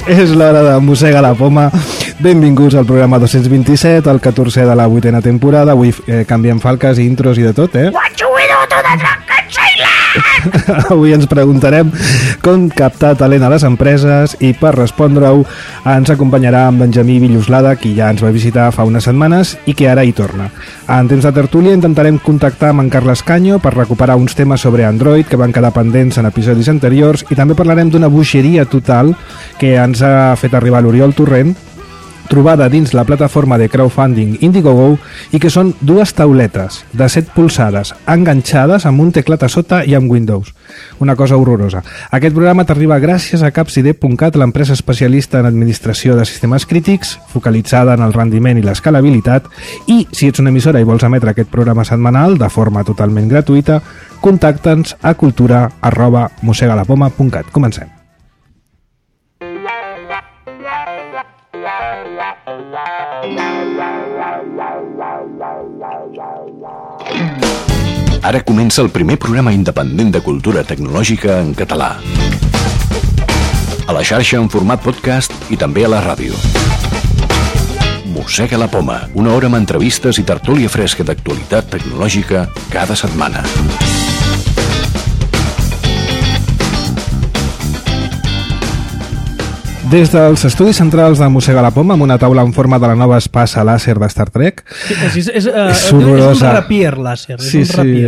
És l'hora de Mossega la Poma. Benvinguts al programa 227, el 14è de la 8ª temporada. Avui canviem falques, intros i de tot, Avui ens preguntarem com captar talent a les empreses i per respondre-ho ens acompanyarà en Benjamí Villoslada, qui ja ens va visitar fa unes setmanes i que ara hi torna. En temps de tertúlia intentarem contactar amb en Carles Canyo per recuperar uns temes sobre Android que van quedar pendents en episodis anteriors i també parlarem d'una bogeria total que ens ha fet arribar l'Oriol Torrent, trobada dins la plataforma de crowdfunding Indiegogo, i que són dues tauletes de 7 polzades enganxades amb un teclat a sota i amb Windows. Una cosa horrorosa. Aquest programa t'arriba gràcies a capsid.cat, l'empresa especialista en administració de sistemes crítics, focalitzada en el rendiment i l'escalabilitat, i si ets una emissora i vols emetre aquest programa setmanal de forma totalment gratuïta, contacta'ns a cultura@mossegalapoma.cat. Comencem. Ara comença el primer programa independent de cultura tecnològica en català. A la xarxa en format podcast i també a la ràdio. Mossega la Poma, una hora amb entrevistes i tertúlia fresca d'actualitat tecnològica cada setmana. Des dels estudis centrals de Mossega la Poma, amb una taula en forma de la nova espasa làser de Star Trek. És un rapier làser. Sí,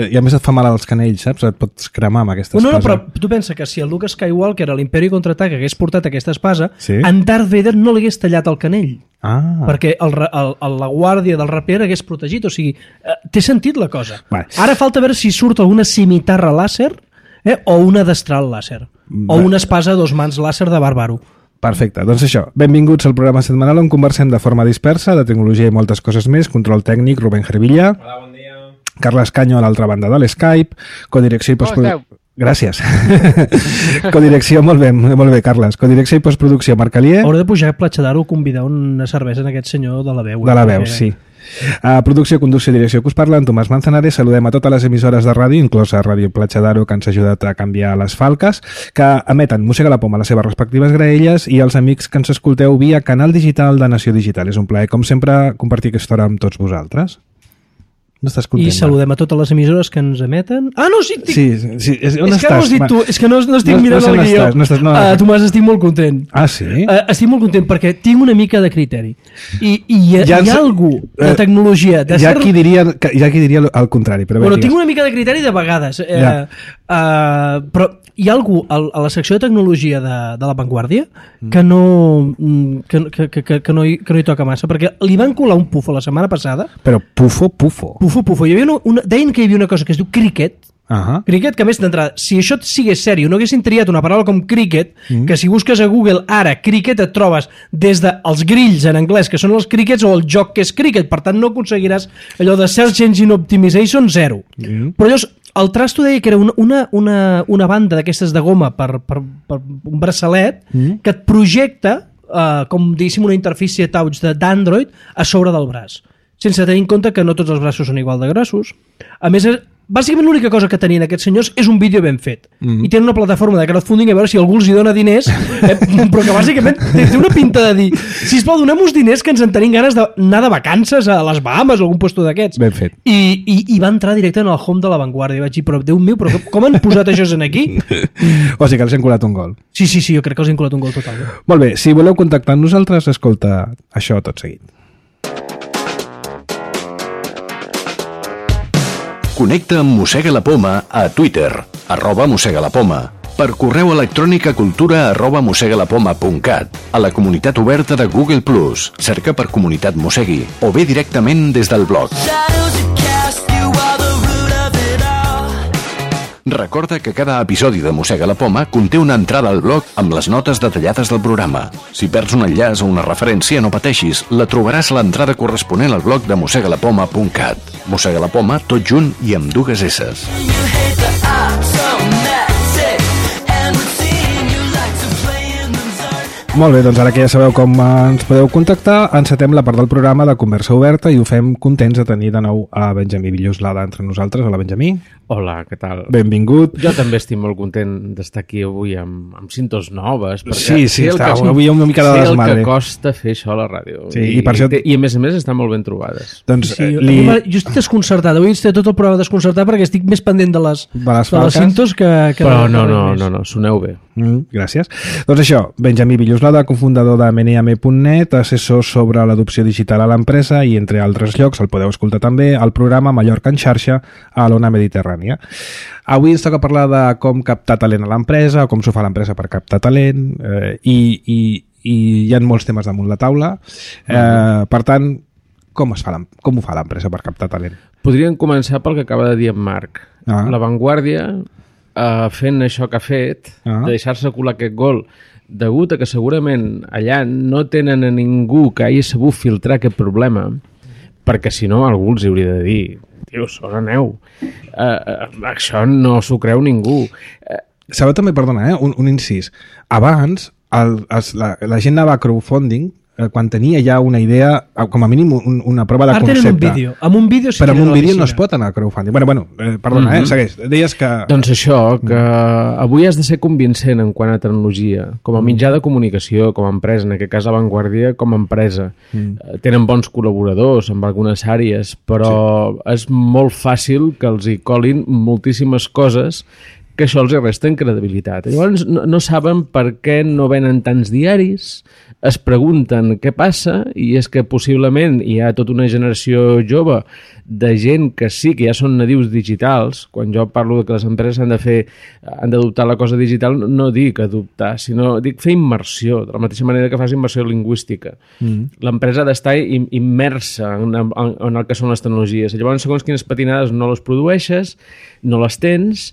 i a més et fa mal als canells, saps? Et pots cremar amb aquesta espasa. No, però tu pensa que si el Luke Skywalker a l'Imperi Contraataca hagués portat aquesta espasa, en Darth Vader no li hagués tallat el canell. Perquè la guàrdia del rapier hagués protegit. O sigui, té sentit la cosa. Ara falta veure si surt alguna cimitarra làser o una destral làser. O una espasa a 2 mans làser de Bàrbaro. Perfecte, doncs això, benvinguts al programa setmanal on conversem de forma dispersa, de tecnologia i moltes coses més. Control tècnic, Rubén Gervilla. Hola, bon dia. Carles Canyo a l'altra banda de l'Skype. Codirecció i postproducció... Gràcies. Codirecció, molt bé, Carles. Codirecció i postproducció, Marc Alier. Hauré de pujar a Platja d'Aro o convidar una cervesa en aquest senyor de la veu. De la veu, sí. Producció, conducció i direcció que us parla, en Tomàs Manzanares. Saludem a totes les emissores de ràdio, inclosa Ràdio Platja d'Aro, que ens ha ajudat a canviar les falques, que emeten Mossega la Poma a les seves respectives graelles, i els amics que ens escolteu via canal digital de Nació Digital. És un plaer, com sempre, compartir aquesta hora amb tots vosaltres. No estàs content? I saludem a totes les emissores que ens emeten. No, sí! Sí. On estàs? Que ho has dit tu, és que no estic mirant el guió. Tomàs, estic molt content. Sí? Estic molt content perquè tinc una mica de criteri. I hi ha algú de tecnologia... Hi ha qui diria el contrari. Bueno, tinc una mica de criteri de vegades. Però hi ha algú a la secció de tecnologia de La Vanguardia que no hi toca massa, perquè li van colar un pufo la setmana passada. Però pufo. Hi havia deien que hi havia una cosa que es diu cricket. Cricket, que a més d'entrada, si això sigués sèrio, no haguessin triat una paraula com cricket, que si busques a Google ara cricket et trobes des dels grills en anglès, que són els crickets, o el joc que és cricket, per tant no aconseguiràs allò de Search Engine Optimization 0. Però llavors, el trasto deia que era una banda d'aquestes de goma per un braçalet que et projecta, com diguéssim una interfície touch d'Android a sobre del braç, sense tenir en compte que no tots els braços són igual de grossos. A més, bàsicament l'única cosa que tenien aquests senyors és un vídeo ben fet. I tenen una plataforma de crowdfunding a veure si algú els hi dona diners, però que bàsicament té una pinta de dir: sisplau, donem-nos diners que ens en tenim ganes d'anar de vacances a les Bahames o algun lloc d'aquests. Ben fet. I va entrar directe en el home de La Vanguardia. I vaig dir, però Déu meu, però com han posat això aquí? O sigui que els hem colat un gol. Sí, jo crec que els hem colat un gol total. Molt bé, si voleu contactar amb nosaltres, escolta això tot seguit. Connecta amb Mossega la Poma a Twitter, @mossegalapoma, per correu electrònic a cultura@mossegalapoma.cat, a la comunitat oberta de Google+, cerca per Comunitat Mossegui, o bé directament des del blog. Recorda que cada episodi de Mossega la Poma conté una entrada al blog amb les notes detallades del programa. Si perds un enllaç o una referència, no pateixis, la trobaràs a l'entrada corresponent al blog de mossegalapoma.cat. Mossega la Poma, tot junt i amb 2 esses. Molt bé, doncs ara que ja sabeu com ens podeu contactar, encetem la part del programa de Conversa Oberta i ho fem contents de tenir de nou a Benjamí Villoslada entre nosaltres. Hola, Benjamí. Hola, què tal? Benvingut. Jo també estic molt content d'estar aquí avui amb cintes noves. Sí, avui una mica de desmadre. Sé el que costa fer això a la ràdio. Sí, i a més estan molt ben trobades. Doncs, sí, jo estic desconcertat. Avui estic tot el programa desconcertat perquè estic més pendent de les cintes que... Però no, soneu bé. Gràcies. Doncs això, Benjamí Villoslada, cofundador de meneame.net, assessor sobre l'adopció digital a l'empresa i, entre altres llocs, el podeu escoltar també al programa Mallorca en xarxa a l'Ona Mediterrània. Avui ens toca parlar de com captar talent a l'empresa, com s'ho fa l'empresa per captar talent, i hi ha molts temes damunt la taula. Per tant, com ho fa l'empresa per captar talent? Podríem començar pel que acaba de dir en Marc. La Vanguardia, fent això que ha fet, de deixar-se colar aquest gol, degut a que segurament allà no tenen a ningú que hagi sabut filtrar aquest problema, perquè si no algú els hauria de dir: tio, on aneu? Això no s'ho creu ningú. Sabeu també, perdona, un incís. Abans la gent anava a crowdfunding quan tenia ja una idea, com a mínim una prova de concepte. Ara tenen un vídeo. Amb un vídeo sí, però amb un vídeo no es pot anar a crowdfunding. Bueno, perdona, segueix. Deies que... Doncs això, que avui has de ser convincent en quant a tecnologia, com a mitjà de comunicació, com a empresa, en aquest cas La Vanguardia com a empresa. Tenen bons col·laboradors en algunes àrees, però és molt fàcil que els hi colin moltíssimes coses que això els resta en credibilitat. Llavors no saben per què no venen tants diaris, es pregunten què passa, i és que possiblement hi ha tota una generació jove de gent que sí que ja són nadius digitals. Quan jo parlo de que les empreses han d'adoptar la cosa digital, no dic adoptar, sinó dic fer immersió, de la mateixa manera que fas immersió lingüística. L'empresa ha d'estar immersa en el que són les tecnologies. Llavors, segons quines patinades no les produeixes, no les tens,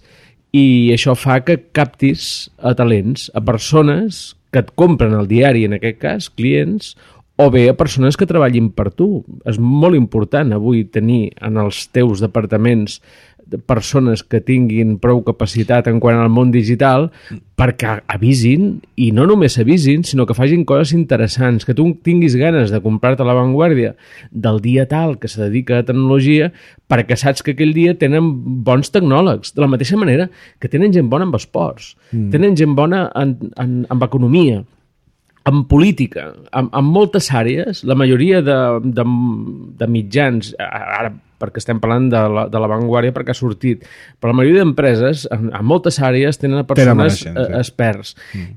i això fa que captis a talents, a persones que et compren el diari, en aquest cas, clients, o bé a persones que treballin per tu. És molt important avui tenir en els teus departaments persones que tinguin prou capacitat en quant al món digital perquè avisin, i no només avisin, sinó que facin coses interessants, que tu tinguis ganes de comprar-te La Vanguardia del dia tal que se dedica a tecnologia, perquè saps que aquell dia tenen bons tecnòlegs, de la mateixa manera que tenen gent bona amb esports, tenen gent bona amb economia, en política, en moltes àrees. La majoria de mitjans, ara perquè estem parlant de la Vanguardia perquè ha sortit, però la majoria d'empreses en moltes àrees tenen persones experts,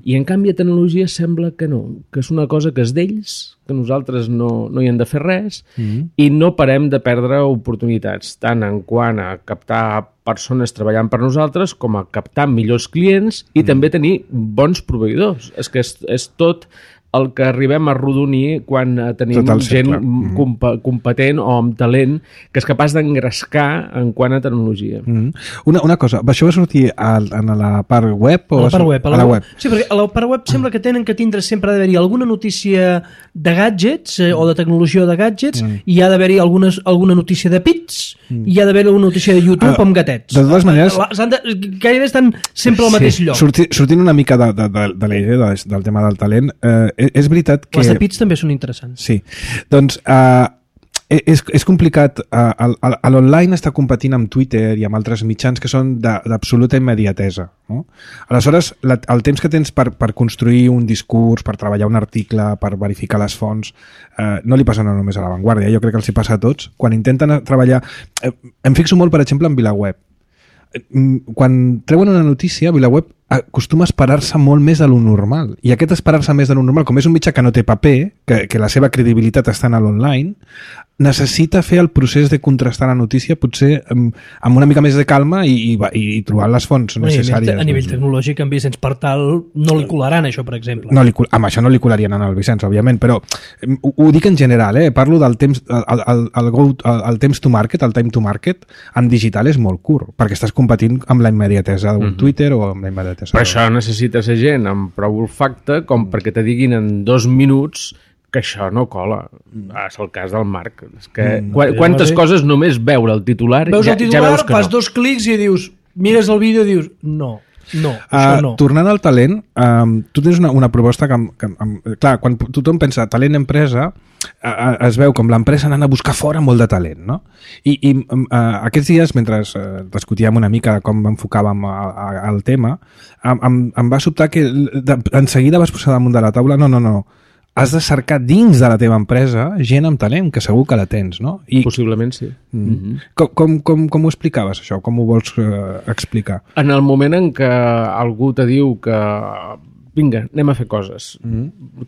i en canvi a tecnologia sembla que no, que és una cosa que és d'ells, que nosaltres no hi hem de fer res, i no parem de perdre oportunitats, tant en quant a captar persones treballant per nosaltres com a captar millors clients i també tenir bons proveïdors. És que és tot el que arribem a arrodonir quan tenim gent competent o amb talent que és capaç d'engrescar en quant a tecnologia. Una cosa, això va sortir en la part web? O a la web. Sí, perquè a la part web sembla que tenen que tindre sempre d'haver-hi alguna notícia de gadgets o de tecnologia de gadgets, i hi ha d'haver-hi alguna notícia de pits, i hi ha d'haver alguna notícia de YouTube amb gatets. De totes maneres... Gairebé estan sempre al mateix lloc. Sortint una mica de la idea del tema del talent, és veritat que... Les de pits també són interessants. Sí. Doncs és complicat. A l'online està competint amb Twitter i amb altres mitjans que són d'absoluta immediatesa. No? Aleshores, el temps que tens per construir un discurs, per treballar un article, per verificar les fonts, no li passa no només a La Vanguardia, jo crec que els hi passa a tots. Quan intenten treballar... Em fixo molt, per exemple, en VilaWeb. Quan treuen una notícia, VilaWeb acostuma a esperar-se molt més de lo normal, i aquest esperar-se més de lo normal, com és un mitjà que no té paper, que la seva credibilitat està en l'online, necessita fer el procés de contrastar la notícia potser amb una mica més de calma i trobar les fonts necessàries. A nivell tecnològic, en Vicenç Partal no li colaran això, per exemple. Amb això no li colarien al Vicenç, òbviament, però ho dic en general, parlo del temps, el temps to market, el time to market en digital és molt curt, perquè estàs competint amb la immediatesa d'un Twitter o amb la immediatesa. Per això necessites gent amb prou olfacte com perquè te diguin en 2 minuts que això no cola. És el cas del Marc. És que quantes coses només veure el titular... Veus el titular, fas 2 clics i dius, mires el vídeo i dius, no. No, això no. Tornant al talent, tu tens una proposta que clar, quan tothom pensa talent empresa, es veu com l'empresa anant a buscar fora molt de talent, no? I aquests dies, mentre discutíem una mica com enfocàvem el tema, em va sobtar que en seguida vas posar damunt de la taula no, has de cercar dins de la teva empresa gent amb talent, que segur que la tens, no? Possiblement sí. Com ho explicaves, això? Com ho vols explicar? En el moment en què algú te diu que vinga, anem a fer coses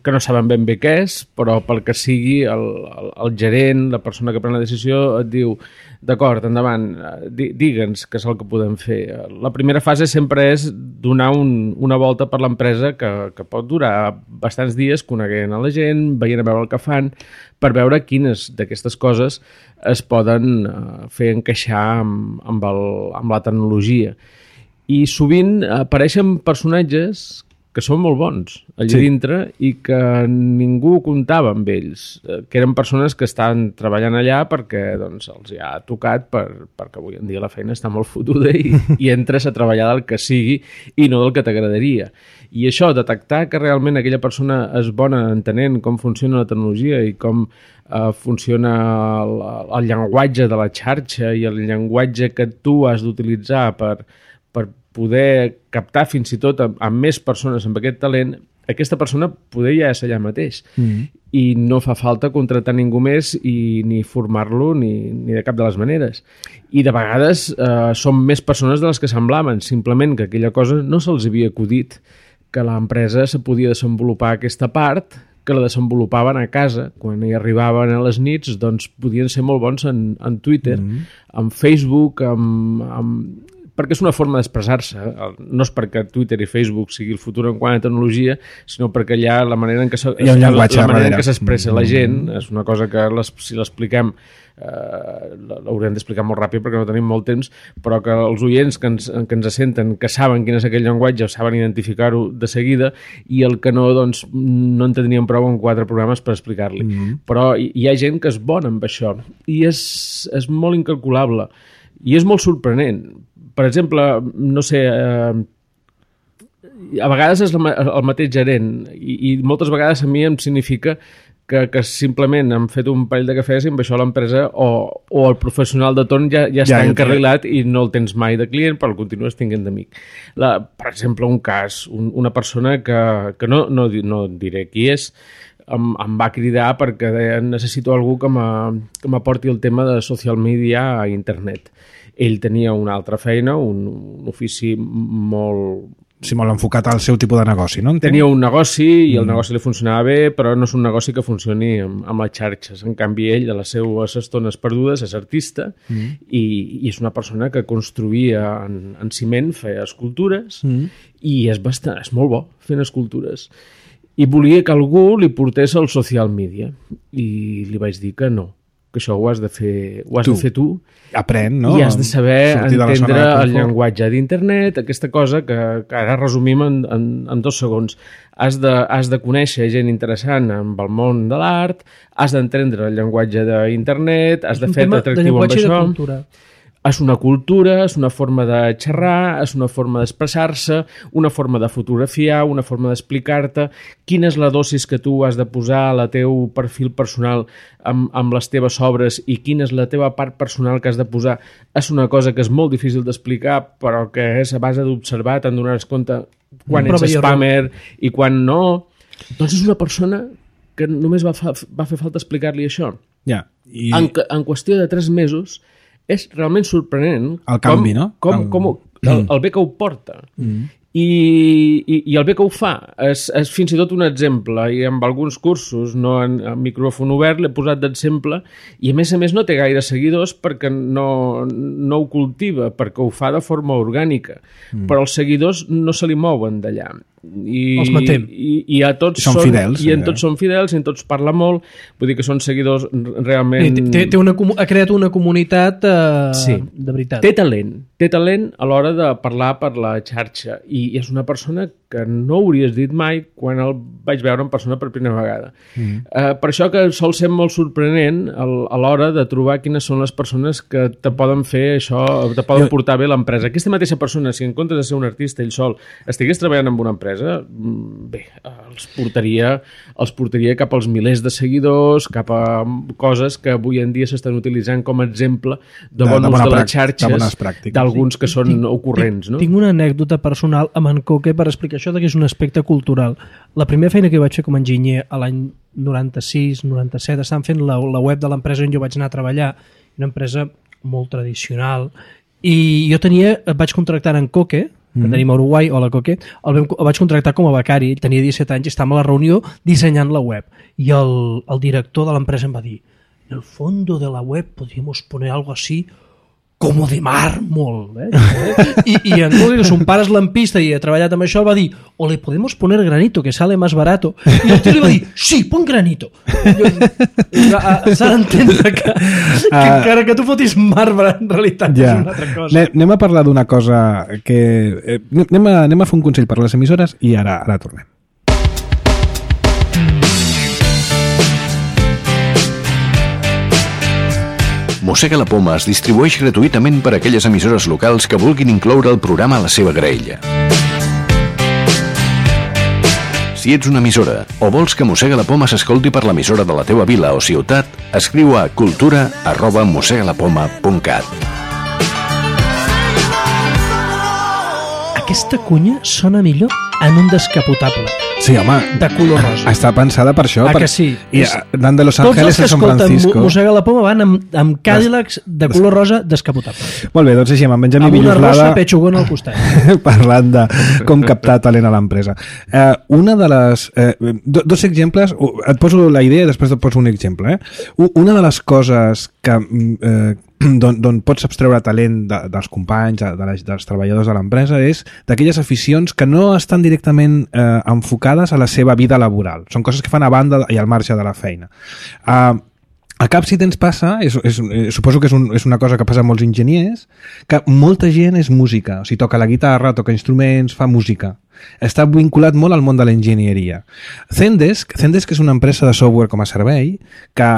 que no saben ben bé què és, però pel que sigui el gerent, la persona que pren la decisió et diu, d'acord, endavant, digue'ns què és el que podem fer. La primera fase sempre és donar una volta per l'empresa que pot durar bastants dies coneguent a la gent, veient a veure el que fan, per veure quines d'aquestes coses es poden fer encaixar amb la tecnologia. I sovint apareixen personatges que són molt bons allà dintre i que ningú comptava amb ells, que eren persones que estan treballant allà perquè doncs, els ha tocat perquè avui en dia la feina està molt fotuda i entres a treballar del que sigui i no del que t'agradaria. I això, detectar que realment aquella persona és bona entenent com funciona la tecnologia i com funciona el llenguatge de la xarxa i el llenguatge que tu has d'utilitzar per poder captar fins i tot amb més persones amb aquest talent, aquesta persona poder ja és allà mateix. I no fa falta contractar ningú més i ni formar-lo ni de cap de les maneres. I de vegades són més persones de les que semblaven, simplement que aquella cosa no se'ls havia acudit, que l'empresa se podia desenvolupar aquesta part, que la desenvolupaven a casa. Quan hi arribaven a les nits, doncs podien ser molt bons en Twitter, en Facebook, perquè és una forma d'expressar-se. No és perquè Twitter i Facebook sigui el futur en quant a tecnologia, sinó perquè allà la manera en què s'expressa la gent és una cosa que si l'expliquem l'haurem d'explicar molt ràpid perquè no tenim molt temps, però que els oients que ens senten, que saben quin és aquell llenguatge, saben identificar-ho de seguida, i el que no, doncs no en tindríem prou en 4 programes per explicar-li. Però hi ha gent que és bona amb això i és molt incalculable i és molt sorprenent. Per exemple, no sé, a vegades és el mateix gerent i moltes vegades a mi em significa que simplement han fet un parell de cafès i amb això l'empresa o el professional de torn ja està encarrilat i no el tens mai de client, però el continues tinguent d'amic. Per exemple, un cas, una persona que no diré qui és, em va cridar perquè deia, necessito algú que m'aporti el tema de social media a internet. Ell tenia una altra feina, un ofici molt... Sí, molt enfocat al seu tipus de negoci, no? Tenia un negoci i el negoci li funcionava bé, però no és un negoci que funcioni amb les xarxes. En canvi, ell, a les seves estones perdudes, és artista i és una persona que construïa en ciment, feia escultures i és molt bo fent escultures. I volia que algú li portés al social media i li vaig dir que no, que això ho has de fer tu. Aprèn, no? I has de saber entendre el llenguatge d'internet, aquesta cosa que ara resumim en 2 segons. Has de conèixer gent interessant amb el món de l'art, has d'entendre el llenguatge d'internet, has de fer atractiu amb això. És una cultura, és una forma de xerrar, és una forma d'expressar-se, una forma de fotografiar, una forma d'explicar-te quina és la dosis que tu has de posar al teu perfil personal amb les teves obres i quina és la teva part personal que has de posar. És una cosa que és molt difícil d'explicar, però que és a base d'observar, te'n donaràs compte quan ets spammer i quan no. Doncs és una persona que només va fer falta explicar-li això. En qüestió de 3 mesos és realment sorprenent el canvi, no? El bé que ho porta. I el bé que ho fa és fins i tot un exemple, i amb alguns cursos en micròfon obert l'he posat d'exemple, i a més no té gaire seguidors perquè no ho cultiva, perquè ho fa de forma orgànica, però els seguidors no se li mouen d'allà. Els matem. I a tots són fidels, i en tots són fidels, i en tots parla molt, vull dir que són seguidors realment... Ha creat una comunitat de veritat. Té talent a l'hora de parlar per la xarxa, i és una persona que no hauries dit mai quan el vaig veure en persona per primera vegada. Per això que sol ser molt sorprenent a l'hora de trobar quines són les persones que te poden fer això, te poden portar bé l'empresa. Aquesta mateixa persona, si en comptes de ser un artista ell sol, estigués treballant en una empresa, bé, els portaria cap als milers de seguidors, cap a coses que avui en dia s'estan utilitzant com a exemple de bon ús de les xarxes, d'alguns que són ocorrents. No? Tinc una anècdota personal amb en Coque per explicar això que és un aspecte cultural. La primera feina que vaig fer com a enginyer a l'any 96-97 estaven fent la web de l'empresa on jo vaig anar a treballar, una empresa molt tradicional, i jo vaig contractar en Coque, que tenim a Uruguai, hola Coque, el vaig contractar com a becari, ell tenia 17 anys i estàvem a la reunió dissenyant la web, i el director de l'empresa em va dir: en el fondo de la web podríamos poner algo así como de mármol, y en Coque, que son pares lampista y ha treballat amb això, va dir: o le podemos poner granito, que sale más barato. I el tio li va dir: sí, pon granito. S'ha d'entendre que encara que tu fotis marbre, en realitat és una altra cosa. Anem a parlar d'una cosa que... Anem a fer un consell per les emissores i ara tornem. Mossega la Poma es distribueix gratuïtament per a aquelles emissores locals que vulguin incloure el programa a la seva graella. Si ets una emissora o vols que Mossega la Poma s'escolti per l'emissora de la teua vila o ciutat, escriu a cultura@mossegalapoma.cat. Aquesta cunya sona millor en un descapotable. Sí, home. De color rosa. Està pensada per això. Que sí? I anant de Los Ángeles a San Francisco. Tots els que escolten Mossega la Poma van amb Cadillacs de color rosa descapotable. Molt bé, doncs així, amb en Benjamí Villoslada... Amb una rosa pechugona al costat. Parlant de com captar talent a l'empresa. Una de les... dos exemples, et poso la idea i després et poso un exemple. Una de les coses que... d'on pots abstreure talent dels companys, dels treballadors de l'empresa, és d'aquelles aficions que no estan directament enfocades a la seva vida laboral. Són coses que fan a banda i al marge de la feina. A Capcitens passa, suposo que és una cosa que passa a molts enginyers, que molta gent és música, o sigui, toca la guitarra, toca instruments, fa música. Està vinculat molt al món de l'enginyeria. Zendesk és una empresa de software com a servei que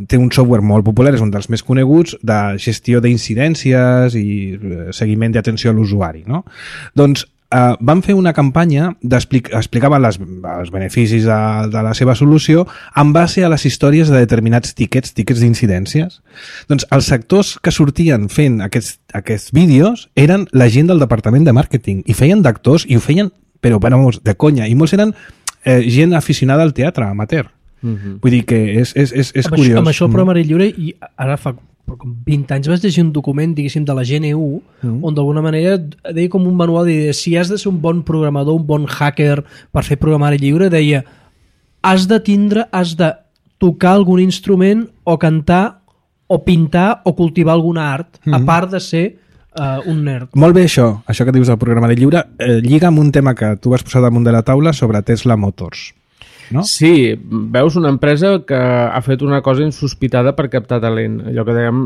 té un software molt popular, és un dels més coneguts, de gestió d'incidències i seguiment d'atenció a l'usuari, no? Doncs van fer una campanya explicaven els beneficis de la seva solució en base a les històries de determinats tíquets d'incidències. Doncs els sectors que sortien fent aquests vídeos eren la gent del departament de màrqueting i feien d'actors i ho feien però de conya, i molts eren gent aficionada al teatre amateur. Vull dir que és curiós. Amb això el programari lliure, i ara fa com 20 anys vaig llegir un document, diguéssim, de la GNU, on d'alguna manera deia com un manual, de si has de ser un bon programador, un bon hacker per fer programari lliure, deia has de tocar algun instrument o cantar o pintar o cultivar alguna art, a part de ser un nerd. Molt bé això que dius del programari lliure, lliga amb un tema que tu vas posar damunt de la taula sobre Tesla Motors. No? Sí, veus una empresa que ha fet una cosa insospitada per captar talent. Allò que dèiem,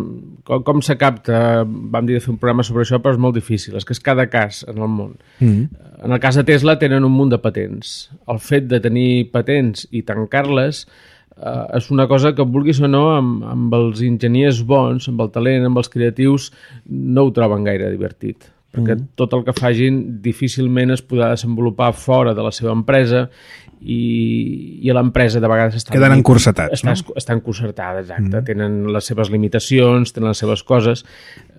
com se capta, vam dir de fer un programa sobre això, però és molt difícil, és que és cada cas en el món. En el cas de Tesla tenen un munt de patents. El fet de tenir patents i tancar-les és una cosa que, vulguis o no, amb els enginyers bons, amb el talent, amb els creatius, no ho troben gaire divertit. Perquè tot el que facin difícilment es podrà desenvolupar fora de la seva empresa i a l'empresa de vegades queden encursetats, no? Estan concertades, exacte. Tenen les seves limitacions, tenen les seves coses,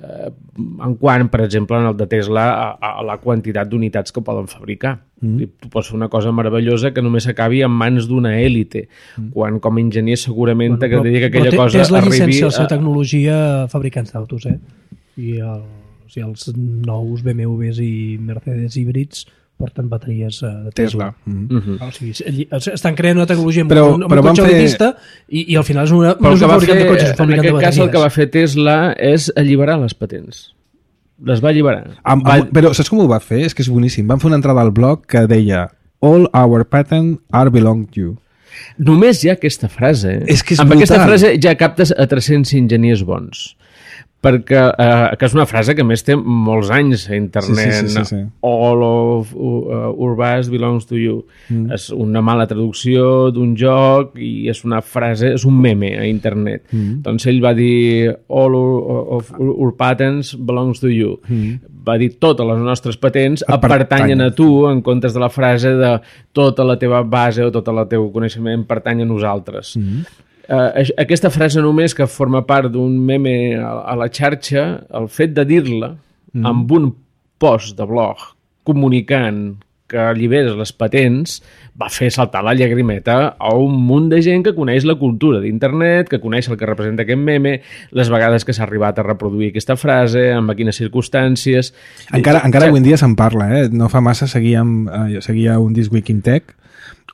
en quant, per exemple, en el de Tesla, a la quantitat d'unitats que poden fabricar. Tu pots fer una cosa meravellosa que només acabi en mans d'una èlite, quan com a enginyer segurament t'agradaria que aquella cosa Tesla arribi... Tesla llicencia la seva tecnologia a fabricants d'autos, i els nous BMWs i Mercedes híbrids porten bateries de Tesla. O sigui, estan creant una tecnologia amb un cotxe elitista i al final no és un fabricant de cotxes, és un fabricant de bateries. En aquest cas el que va fer Tesla és alliberar les patents. Les va alliberar. Però saps com ho va fer? És que és boníssim. Van fer una entrada al blog que deia "All our patents are belong to you". Només hi ha aquesta frase. És que és amb brutal. aquesta frase ja captes a 300 enginyers bons. perquè que és una frase que a més té molts anys a internet. Sí. All of our best belongs to you. És una mala traducció d'un joc i és una frase, és un meme a internet. Doncs ell va dir all of our patents belongs to you. Va dir totes les nostres patents pertanyen a tu, en comptes de la frase de tota la teva base o tot el teu coneixement pertany a nosaltres. Aquesta frase només, que forma part d'un meme a la xarxa, el fet de dir-la amb un post de blog comunicant que alliberes les patents va fer saltar la llagrimeta a un munt de gent que coneix la cultura d'internet, que coneix el que representa aquest meme, les vegades que s'ha arribat a reproduir aquesta frase, amb quines circumstàncies... Encara avui en dia se'n parla, No fa massa seguia un This Week in Tech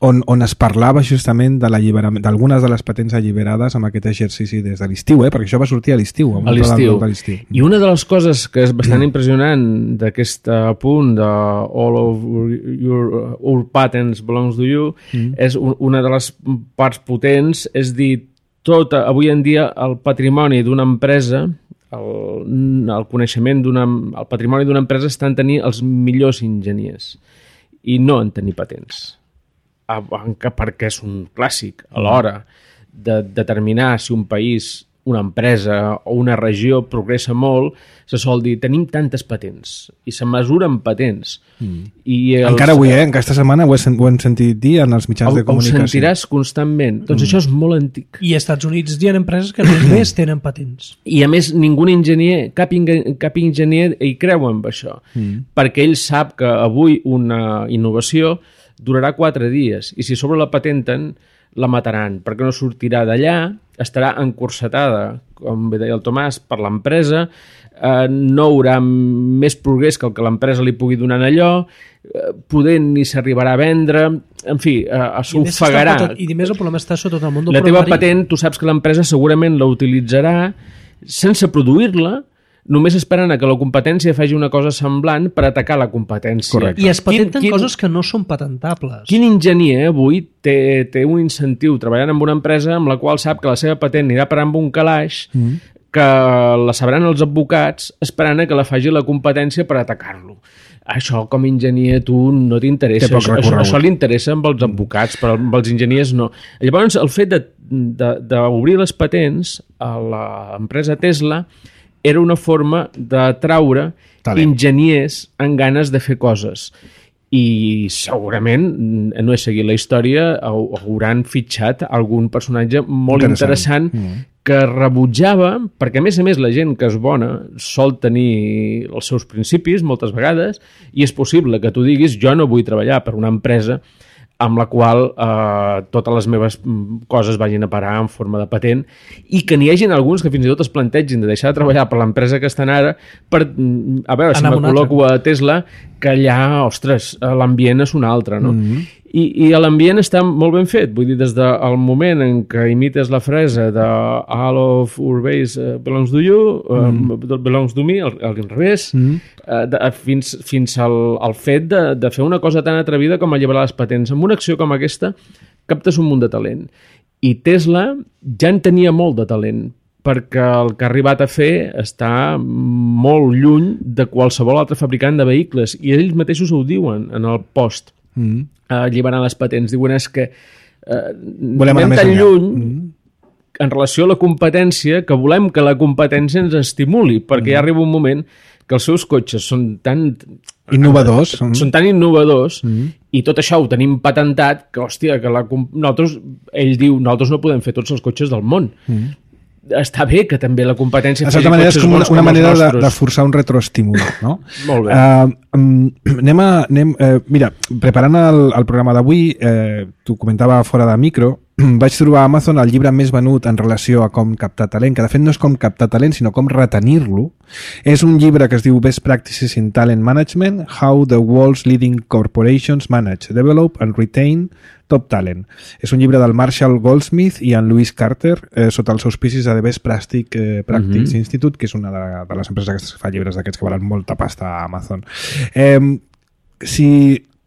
on es parlava justament de l'alliberament d'algunes de les patents alliberades amb aquest exercici des de l'estiu, perquè això va sortir a l'estiu. A l'estiu. I una de les coses que és bastant impressionant d'aquest punt de all of your patents belongs to you és una de les parts potents, és dir, avui en dia el patrimoni d'una empresa, el coneixement el patrimoni d'una empresa està en tenir els millors enginyers i no en tenir patents. Perquè és un clàssic a l'hora de determinar si un país, una empresa o una regió progressa molt, se sol dir tenim tantes patents i se mesuren patents. Encara avui, aquesta setmana ho hem sentit dir en els mitjans de comunicació. Ho sentiràs constantment. Doncs això és molt antic. I als Estats Units hi ha empreses que només tenen patents. I a més ningú enginyer, cap enginyer hi creu en això, perquè ell sap que avui una innovació durarà 4 dies i si sobre la patenten la mataran perquè no sortirà d'allà, estarà encursetada, com bé deia el Tomàs, per l'empresa, no haurà més progrés que el que l'empresa li pugui donar en allò, poder ni s'arribarà a vendre, en fi, s'ofegarà. I a més el problema està sota tot el món del programari. La teva patent, tu saps que l'empresa segurament la utilitzarà sense produir-la, només esperen que la competència faci una cosa semblant per atacar la competència. Correcte. I es patenten coses que no són patentables. Quin enginyer avui té un incentiu treballant en una empresa amb la qual sap que la seva patent anirà parar amb un calaix que la sabran els advocats esperant que la faci la competència per atacar-lo. Això com a enginyer tu no t'interessa. Això li interessa amb els advocats, però amb els enginyers no. Llavors el fet d'obrir les patents a l'empresa Tesla era una forma de traure enginyers amb ganes de fer coses. I segurament, no he seguit la història, hauran fitxat algun personatge molt interessant que rebutjava, perquè a més la gent que és bona sol tenir els seus principis moltes vegades, i és possible que tu diguis jo no vull treballar per una empresa amb la qual totes les meves coses vagin a parar en forma de patent, i que n'hi hagin alguns que fins i tot es plantegin de deixar de treballar per l'empresa que estan ara per, a veure, si me col·loco a Tesla, que allà, ostres, l'ambient és un altre, no? I l'ambient està molt ben fet, vull dir, des del moment en què imites la frase de all of our base belongs to you, belongs to me, al revés, fins al fet de fer una cosa tan atrevida com alliberar les patents. Amb una acció com aquesta captes un munt de talent. I Tesla ja en tenia molt de talent, perquè el que ha arribat a fer està molt lluny de qualsevol altre fabricant de vehicles, i ells mateixos ho diuen en el post. Alliberant les patents, diuen és que anem tan lluny en relació a la competència que volem que la competència ens estimuli, perquè ja arriba un moment que els seus cotxes són tan innovadors, i tot això ho tenim patentat que, hòstia, que ell diu, nosaltres no podem fer tots els cotxes del món. Està bé que també la competència de certa manera és com una manera de forçar un retroestímul, no? Molt bé. Mira, preparant el programa d'avui, t'ho comentava fora de micro, vaig trobar a Amazon el llibre més venut en relació a com captar talent, que de fet no és com captar talent, sinó com retenir-lo. És un llibre que es diu Best Practices in Talent Management, How the World's Leading Corporations Manage, Develop and Retain Top Talent. És un llibre del Marshall Goldsmith i en Lewis Carter, sota els auspicis de The Best Practice Institute, que és una de les empreses que fa llibres d'aquests que valen molta pasta a Amazon. Si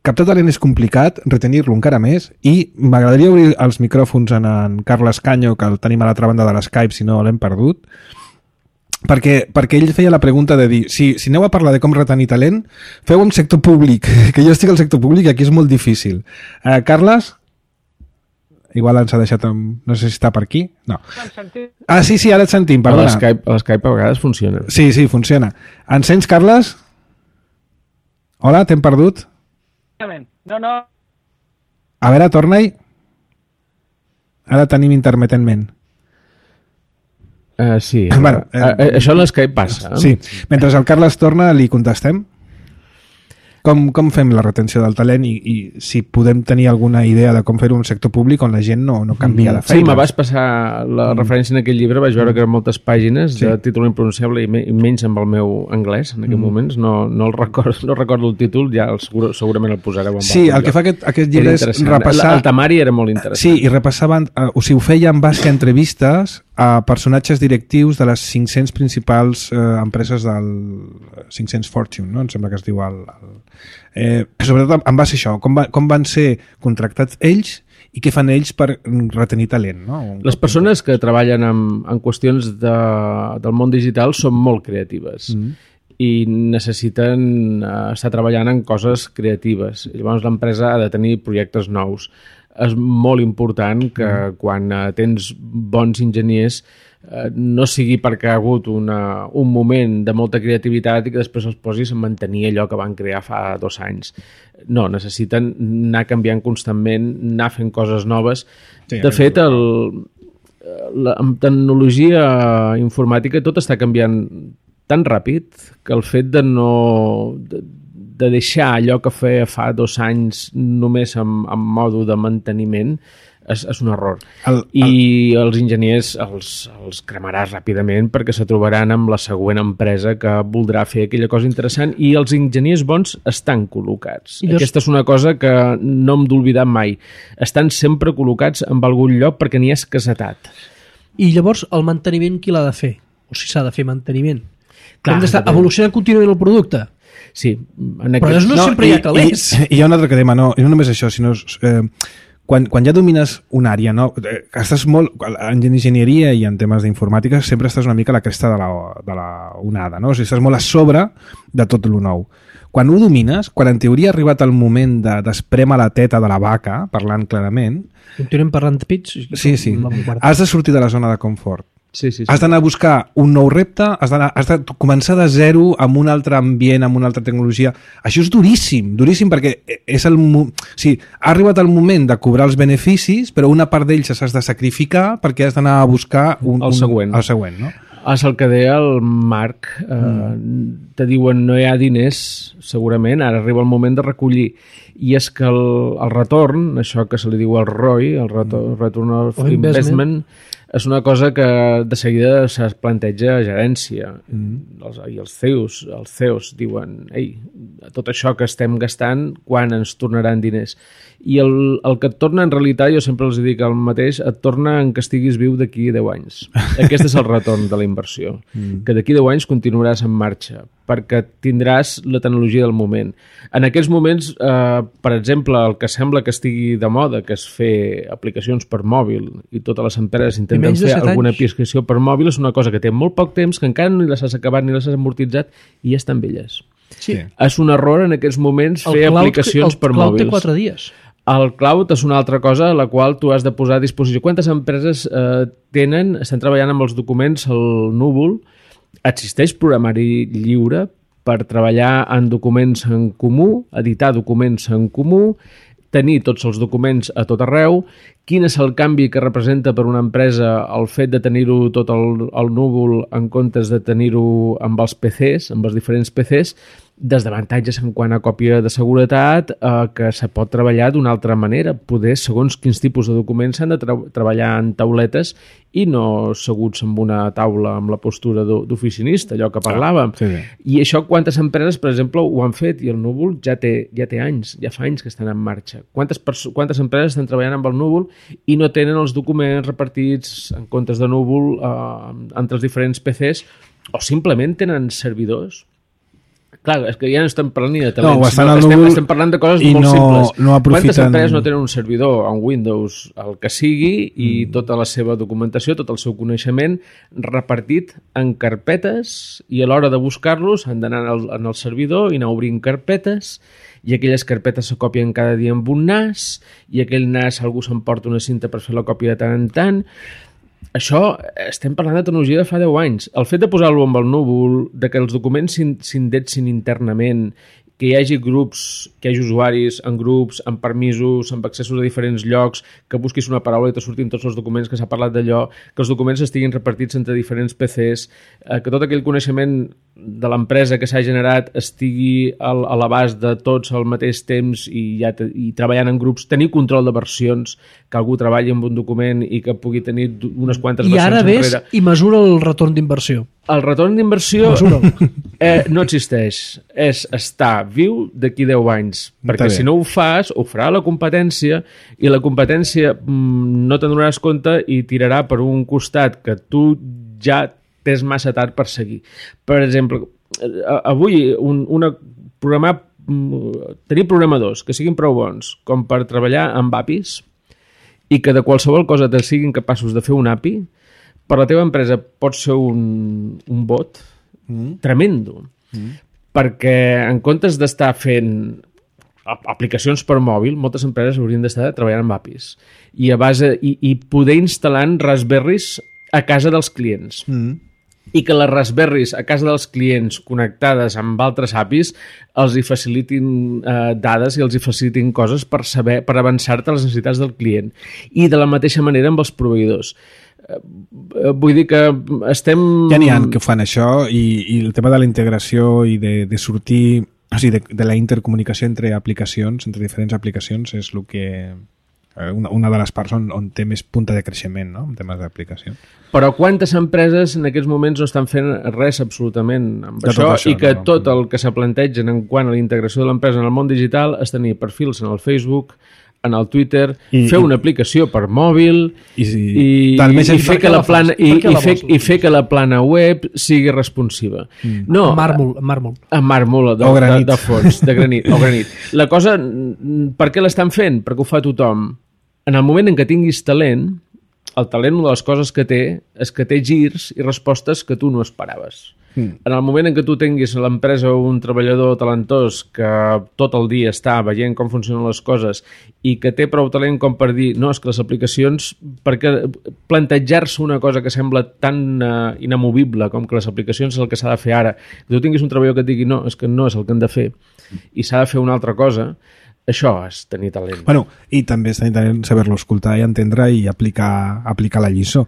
captar talent és complicat, retenir-lo encara més, i m'agradaria obrir els micròfons en Carles Canyo, que el tenim a l'altra banda de l'Skype, si no l'hem perdut, perquè ell feia la pregunta de dir, si aneu a parlar de com retenir talent, feu en sector públic, que jo estic al sector públic i aquí és molt difícil. Carles? Igual ens ha deixat no sé si està per aquí. No. Sí, ara et sentim, perdona. L'Skype a vegades funciona. Sí, funciona. Ens sents, Carles? Hola, t'hem perdut? No. A veure, torna-hi. Ara tenim intermitentment. Sí, bueno, això a l'Skype passa. Sí, mentre el Carles torna li contestem. Com fem la retenció del talent i si podem tenir alguna idea de com fer-ho en un sector públic on la gent no canvia de feina? Sí, me vas passar la referència en aquell llibre, vaig veure que eren moltes pàgines de títol impronunciable i menys amb el meu anglès en aquells moments, no recordo el títol, ja segurament el posareu en Sí, el que fa aquest llibre és repassar... El temari era molt interessant. Sí, i repassaven, o sigui, ho feia en base a entrevistes a personatges directius de les 500 principals empreses del 500 Fortune, no? Em sembla que es diu sobretot en base a això, com van ser contractats ells i què fan ells per retenir talent, no? Les persones que treballen en qüestions del món digital són molt creatives i necessiten estar treballant en coses creatives. Llavors l'empresa ha de tenir projectes nous. És molt important que quan tens bons enginyers no sigui perquè ha hagut un moment de molta creativitat i que després els posis a mantenir allò que van crear fa 2 anys. No, necessiten anar canviant constantment, anar fent coses noves. De fet, amb tecnologia informàtica tot està canviant tan ràpid que el fet de deixar allò que feia fa 2 anys només en mode de manteniment és un error. I els enginyers els cremaràs ràpidament perquè se trobaran amb la següent empresa que voldrà fer aquella cosa interessant i els enginyers bons estan col·locats. Aquesta és una cosa que no hem d'oblidar mai. Estan sempre col·locats en algun lloc perquè n'hi ha escassetat. I llavors el manteniment qui l'ha de fer? O si s'ha de fer manteniment? Hem d'estar evolucionant contínuament el producte? Sí. Però no sempre hi ha calés. I hi ha un altre tema, no només això, sinó quan ja domines una àrea, no? Estàs molt, en enginyeria i en temes d'informàtica sempre estàs una mica a la cresta de la onada, no? O sigui, estàs molt a sobre de tot lo nou. Quan ho domines, quan en teoria ha arribat el moment d'esprema la teta de la vaca, parlant clarament... Continuem parlant de pits? Sí. Has de sortir de la zona de confort. Sí. Has d'anar a buscar un nou repte, has de començar de zero amb un altre ambient, amb una altra tecnologia. Això és duríssim perquè ha arribat el moment de cobrar els beneficis, però una part d'ells s'has de sacrificar perquè has d'anar a buscar el següent, no? És el que deia el Marc. Te diuen no hi ha diners, segurament, ara arriba el moment de recollir. I és que el retorn, això que se li diu el ROI, el Return of Investment, és una cosa que de seguida es planteja a gerència. I els CEOs diuen tot això que estem gastant, quan ens tornaran diners? I el que et torna en realitat, jo sempre els dic el mateix, et torna en que estiguis viu d'aquí 10 anys. Aquest és el retorn de la inversió. Que d'aquí 10 anys continuaràs en marxa, perquè tindràs la tecnologia del moment. En aquells moments, per exemple, el que sembla que estigui de moda, que és fer aplicacions per mòbil, i totes les empreses intenten fer alguna aplicació per mòbil, és una cosa que té molt poc temps, que encara ni les has acabat ni les has amortitzat, i ja estan velles. Sí. És un error en aquests moments fer aplicacions per mòbils. El cloud té 4 dies. El cloud és una altra cosa a la qual tu has de posar a disposició. Quantes empreses estan treballant amb els documents al núvol? Existeix programari lliure per treballar en documents en comú, editar documents en comú, tenir tots els documents a tot arreu. Quin és el canvi que representa per una empresa el fet de tenir-ho tot al núvol en comptes de tenir-ho amb els PCs, amb els diferents PCs? Desavantatges en quant a còpia de seguretat, que se pot treballar d'una altra manera. Poder, segons quins tipus de documents, s'han de treballar en tauletes i no seguts amb una taula amb la postura d'oficinista, allò que parlàvem. Sí. I això quantes empreses, per exemple, ho han fet, i el núvol ja té anys, ja fa anys que estan en marxa. Quantes empreses estan treballant amb el núvol i no tenen els documents repartits en comptes de núvol entre els diferents PCs, o simplement tenen servidors Clar, és que ja no estem parlant ni de talents, No, estan al núvol estem parlant de coses i molt simples. no aprofiten... Quantes empreses no tenen un servidor en Windows, el que sigui, i tota la seva documentació, tot el seu coneixement repartit en carpetes, i a l'hora de buscar-los han d'anar en el servidor i anar obrint carpetes, i aquelles carpetes se copien cada dia amb un NAS, i aquell NAS algú s'emporta una cinta per fer la còpia de tant en tant. Això, estem parlant de tecnologia de fa 10 anys. El fet de posar-lo amb el núvol, de que els documents s'indexin internament, que hi hagi grups, que hi hagi usuaris en grups, amb permisos, amb accessos a diferents llocs, que busquis una paraula i te surtin tots els documents, que s'ha parlat d'allò, que els documents estiguin repartits entre diferents PCs, que tot aquell coneixement de l'empresa que s'ha generat estigui a l'abast de tots al mateix temps i treballant en grups, tenir control de versions, que algú treballi amb un document i que pugui tenir unes quantes versions enrere. I ara ves i mesura el retorn d'inversió. El retorn d'inversió no existeix. És estar viu d'aquí 10 anys. Perquè si no ho fas, ho farà la competència i la competència no te'n donaràs compte i tirarà per un costat que tu ja tens massa tard per seguir. Per exemple, avui tenir programadors que siguin prou bons com per treballar amb APIs i que de qualsevol cosa te siguin capaços de fer un API, per la teva empresa pot ser un bot tremendo. Perquè en comptes d'estar fent aplicacions per mòbil, moltes empreses haurien d'estar treballant amb APIs i poder instal·lant Raspberries a casa dels clients. I que les Raspberries a casa dels clients connectades amb altres APIs els hi facilitin dades i els hi facilitin coses per avançar-te a les necessitats del client. I de la mateixa manera amb els proveïdors. Vull dir que estem... Ja n'hi ha que fan això i el tema de la integració i de sortir, o sigui, de la intercomunicació entre aplicacions, entre diferents aplicacions, és el que... una de les parts on té més punta de creixement, no?, en temes d'aplicació. Però quantes empreses en aquests moments no estan fent res absolutament amb això i que tot el que se plantegen en quant a la integració de l'empresa en el món digital és tenir perfils en el Facebook, en el Twitter, fer una aplicació per mòbil i fer que la plana web sigui responsiva. No, amb màrmol de fons, de granit. La cosa, per què l'estan fent? Perquè ho fa tothom. En el moment en què tinguis talent, el talent, una de les coses que té és que té girs i respostes que tu no esperaves. En el moment en què tu tinguis a l'empresa un treballador talentós que tot el dia està veient com funcionen les coses i que té prou talent com per dir no, és que les aplicacions, perquè plantejar-se una cosa que sembla tan inamovible com que les aplicacions és el que s'ha de fer ara, que tu tinguis un treballador que et digui no, és que no és el que han de fer i s'ha de fer una altra cosa, això és tenir talent. Bueno, i també és tenir talent saber-lo escoltar i entendre i aplicar la lliçó.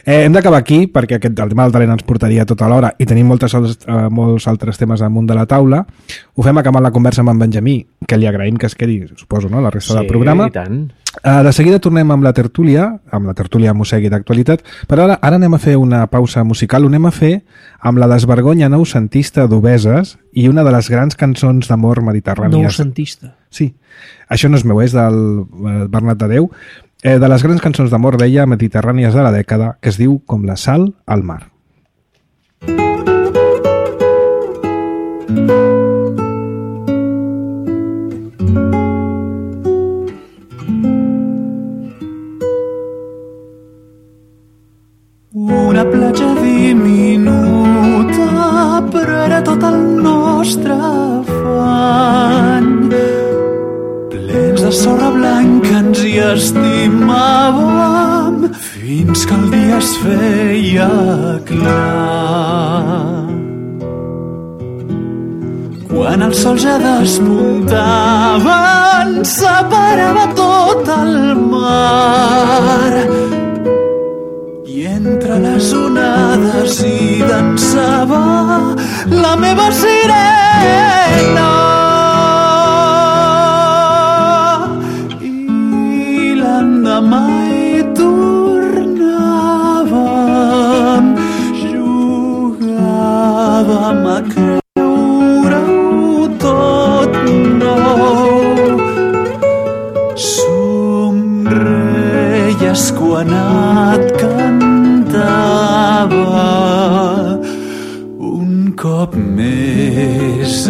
Hem d'acabar aquí perquè el tema del talent ens portaria tota l'hora i tenim molts altres temes damunt de la taula. Ho fem acabant la conversa amb en Benjamí, que li agraïm que es quedi, suposo, no?, la resta del programa. Sí, i tant. De seguida tornem amb la tertúlia Mossegui d'actualitat, però ara anem a fer una pausa musical, ho anem a fer amb la desvergonya noucentista d'Obeses i una de les grans cançons d'amor mediterrànies. Noucentista? Sí, això no és meu, és del Bernat de Déu, de les grans cançons d'amor, deia, mediterrànies de la dècada, que es diu Com la sal al mar. Una platja diminuta, però era tot el nostre afany. Plens de sorra blanca ens hi estimàvem fins que el dia es feia clar. Quan el sol ja despuntava ens separava tot el mar. I entre les onades hi dansava la meva sirena. I l'endemà hi tornàvem, jugàvem a creure-ho tot nou. Somreies quan et cantava un cop més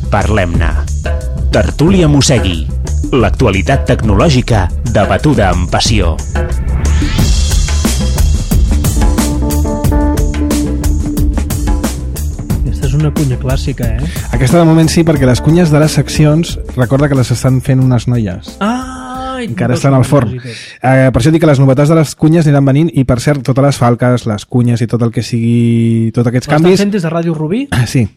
Parlem-ne. Tertúlia Mossegui. L'actualitat tecnològica debatuda amb passió. Aquesta és una cunya clàssica, eh? Aquesta de moment sí, perquè les cunyes de les seccions, recorda que les estan fent unes noies. Encara estan al forn. Per això dic que les novetats de les cunyes aniran venint, i per cert, totes les falques, les cunyes i tot el que sigui, tots aquests canvis... L'estan fent des de Ràdio Rubí? Sí.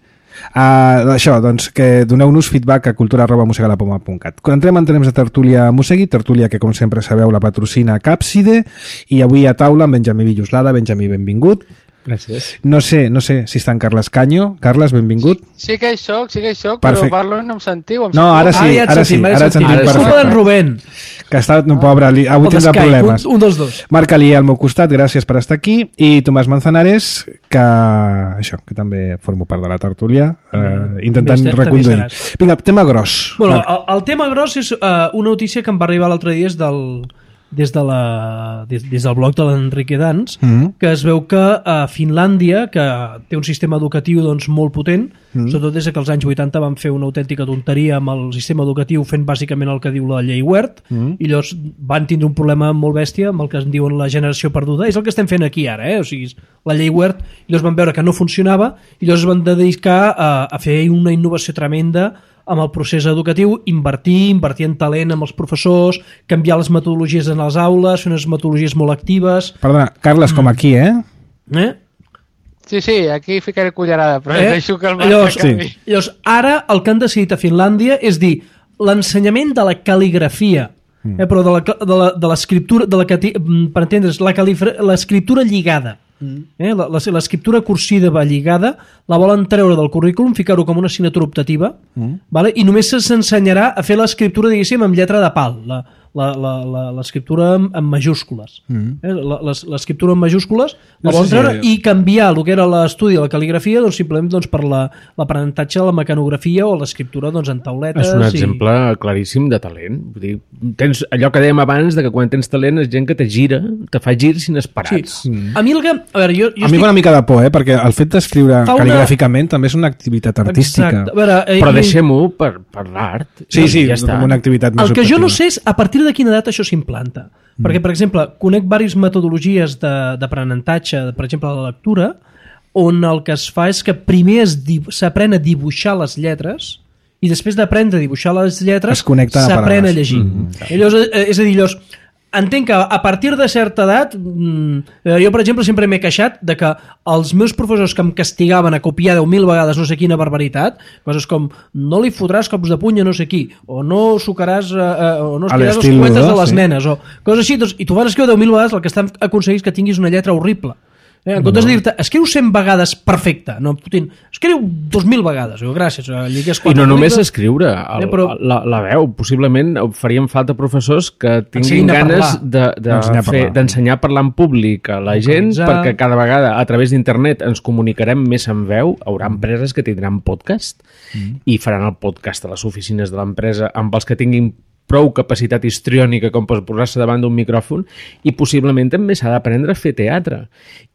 Això, doncs, que doneu-nos feedback a cultura@mosegalapoma.cat. Quan entrem en temps de tertúlia Mossegui, tertúlia que, com sempre sabeu, la patrocina Càpside, i avui a taula amb Benjamí Villoslada. Benjamí, benvingut. Gràcies. No sé si està en Carles Canyo. Carles, benvingut. Sí que hi soc, però parlo no em sentiu. No, ara sí, ara et sentim perfecte. Som d'en Rubén. Que ha estat, no, pobre, avui tindrà problemes. Un dels dos. Marc Alié al meu costat, gràcies per estar aquí, i Tomàs Manzanares, que també formo part de la tertúlia, intentant reconduir. Vinga, tema gros. Bueno, el tema gros és una notícia que em va arribar l'altre dia des del blog de l'Enrique Dans, que es veu que a Finlàndia, que té un sistema educatiu doncs, molt potent, sobretot des que als anys 80 van fer una autèntica tonteria amb el sistema educatiu, fent bàsicament el que diu la llei Wert, i llavors van tindre un problema molt bèstia amb el que en diuen la generació perduda. És el que estem fent aquí ara, o sigui, la llei Wert, i llavors van veure que no funcionava, i llavors es van dedicar a fer una innovació tremenda amb el procés educatiu, invertir en talent amb els professors, canviar les metodologies en les aules, fer unes metodologies molt actives. Perdona, Carles, com aquí, Sí, aquí ficaré cullerada, però deixo que el Marc canvi. Llavors, ara el que han decidit a Finlàndia és dir l'ensenyament de la cal·ligrafia, però de l'escriptura, per entendre's, l'escriptura lligada. L'escriptura cursiva lligada la volen treure del currículum, ficar-ho com una assignatura optativa, i només s'ensenyarà a fer l'escriptura, diguéssim, amb lletra de pal, l'escriptura en majúscules. L'escriptura en majúscules la volen treure i canviar el que era l'estudi de la cal·ligrafia simplement per l'aprenentatge de la mecanografia o l'escriptura en tauletes. És un exemple claríssim de talent. Vull dir, tens allò que dèiem abans, de que quan tens talent és gent que te fa girs inesperats. A mi a mi fa una mica de por, perquè el fet d'escriure cal·ligràficament també és una activitat artística. Però deixem-ho per l'art. Sí, com una activitat més el que jo no sé és a partir de quina edat això s'implanta. Perquè, per exemple, conec diverses metodologies d'aprenentatge, per exemple, la lectura, on el que es fa és que primer s'aprèn a dibuixar les lletres i després d'aprendre a dibuixar les lletres s'aprèn a llegir. És a dir, entenc que a partir de certa edat, jo, per exemple, sempre m'he queixat de que els meus professors que em castigaven a copiar 10.000 vegades no sé quina barbaritat, coses com no li fotràs cops de puny a no sé qui, o no sucaràs o no estiràs els coetes de les nenes, o coses així, i tu vas escriure 10.000 vegades, el que estan aconseguint és que tinguis una lletra horrible. En comptes de dir-te, escriu 100 vegades perfecte, no, Putin, escriu 2.000 vegades, gràcies. I no només escriure, la veu, possiblement farien falta professors que tinguin ganes d'ensenyar a parlar en públic a la gent, perquè cada vegada a través d'internet ens comunicarem més en veu. Hi haurà empreses que tindran podcast i faran el podcast a les oficines de l'empresa amb els que tinguin prou capacitat histriònica com per posar-se davant d'un micròfon, i possiblement també s'ha d'aprendre a fer teatre.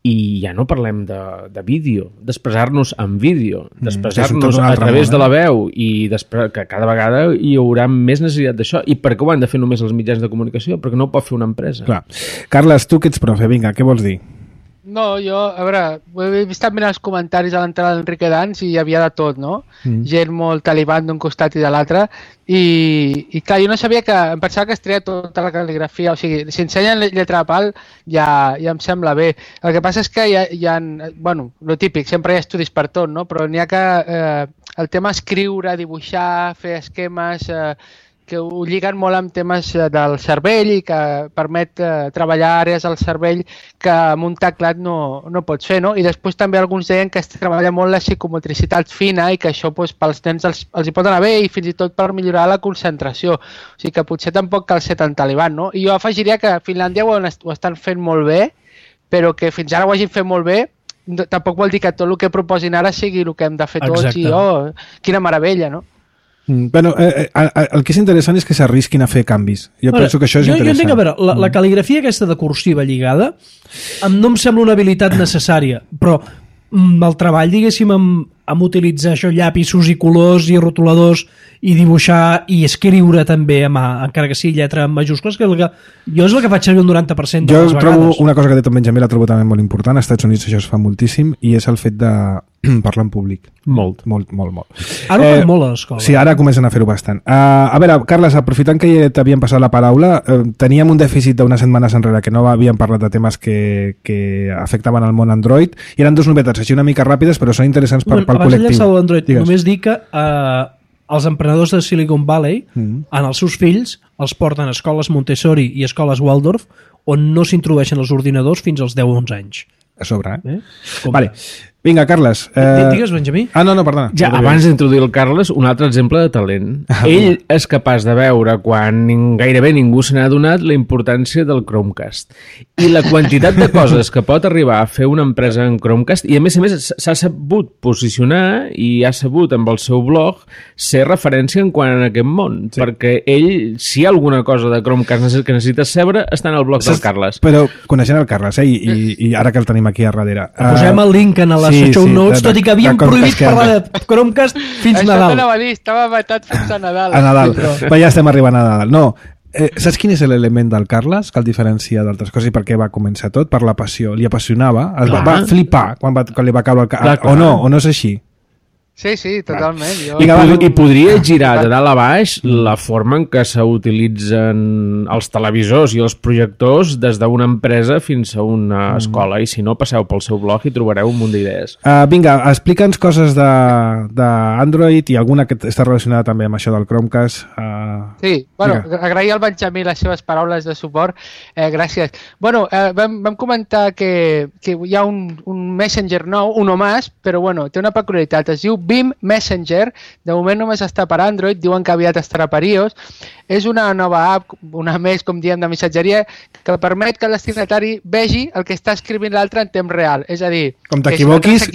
I ja no parlem de vídeo, d'expressar-nos en vídeo, d'expressar-nos a través de la veu, i que cada vegada hi haurà més necessitat d'això. I per què ho han de fer només els mitjans de comunicació? Perquè no ho pot fer una empresa. Clar. Carles, tu que ets profe, vinga, què vols dir? No, jo, a veure, he estat mirant els comentaris a l'entrada d'Enrique Dans i hi havia de tot, no? Gent molt talibant d'un costat i de l'altre, i clar, jo no sabia em pensava que es treia tota la cal·ligrafia, o sigui, si ensenyen lletra de pal ja em sembla bé. El que passa és que hi ha bueno, lo típic, sempre hi ha estudis per tot, no? Però n'hi ha que el tema escriure, dibuixar, fer esquemes, que ho lliguen molt amb temes del cervell i que permet treballar àrees del cervell que amb un teclat no pots fer, no? I després també alguns deien que es treballa molt la psicomotricitat fina i que això pels nens els hi pot anar bé i fins i tot per millorar la concentració. O sigui que potser tampoc cal ser tan talibant, no? I jo afegiria que a Finlàndia ho estan fent molt bé, però que fins ara ho hagin fet molt bé tampoc vol dir que tot el que proposin ara sigui el que hem de fer tots. I quina meravella, no? Bueno, el que és interessant és que s'arrisquin a fer canvis. Jo penso que això és interessant. Jo entenc, a veure, la cal·ligrafia aquesta de cursiva lligada no em sembla una habilitat necessària, però el treball, diguéssim, amb utilitzar això, llapisos i colors i rotuladors i dibuixar i escriure també a mà, encara que sigui lletra en majúscules, que jo és el que faig servir un 90% de les vegades. Jo trobo una cosa que ha dit en Benjamí, la trobo també molt important. Als Estats Units això es fa moltíssim i és el fet de parlar en públic. Molt. Ara ho fan molt a l'escola. Sí, ara comencen a fer-ho bastant. A veure, Carles, aprofitant que t'havíem passat la paraula, teníem un dèficit d'unes setmanes enrere que no havíem parlat de temes que afectaven el món Android i eren dues novetats així una mica ràpides però són interessants pel col·lectiu. Abans de llançar l'Android, només dic que els emprenedors de Silicon Valley en els seus fills els porten a escoles Montessori i escoles Waldorf on no s'introdueixen els ordinadors fins als 10-11 anys. A sobre, Vale. Vinga, Carles. Digues, Benjamí. No, perdona. Ja, abans d'introduir el Carles, un altre exemple de talent. Ell és capaç de veure, quan gairebé ningú se n'ha adonat, la importància del Chromecast. I la quantitat de coses que pot arribar a fer una empresa en Chromecast, i a més s'ha sabut posicionar i ha sabut amb el seu blog ser referència en quant a aquest món. Sí. Perquè ell, si hi ha alguna cosa de Chromecast que necessites saber, està en el blog del Carles. Però coneixent el Carles, i ara que el tenim aquí a darrere... Posem el link en les show notes, tot i que havíem prohibit parlar de Chromecast fins Nadal. Això t'anava a dir, estava vetat fins a Nadal. A Nadal, però ja estem arribant a Nadal. No, saps quin és l'element del Carles que el diferencia d'altres coses i per què va començar tot? Per la passió. Li apassionava, va flipar quan li va caure el cap. O no és així? Sí, totalment. I podria girar de dalt a baix la forma en què s'utilitzen els televisors i els projectors des d'una empresa fins a una escola, i si no, passeu pel seu blog i trobareu un munt d'idees. Vinga, explica'ns coses d'Android i alguna que està relacionada també amb això del Chromecast. Sí, agrair al Benjamí les seves paraules de suport. Gràcies. Vam comentar que hi ha un Messenger nou, uno más, però té una peculiaritat. Es diu Beam Messenger, de moment només està per Android, diuen que aviat estarà per iOS. És una nova app, una més, com diem, de missatgeria, que permet que el destinatari vegi el que està escrivint l'altre en temps real. És a dir, com t'equivoquis...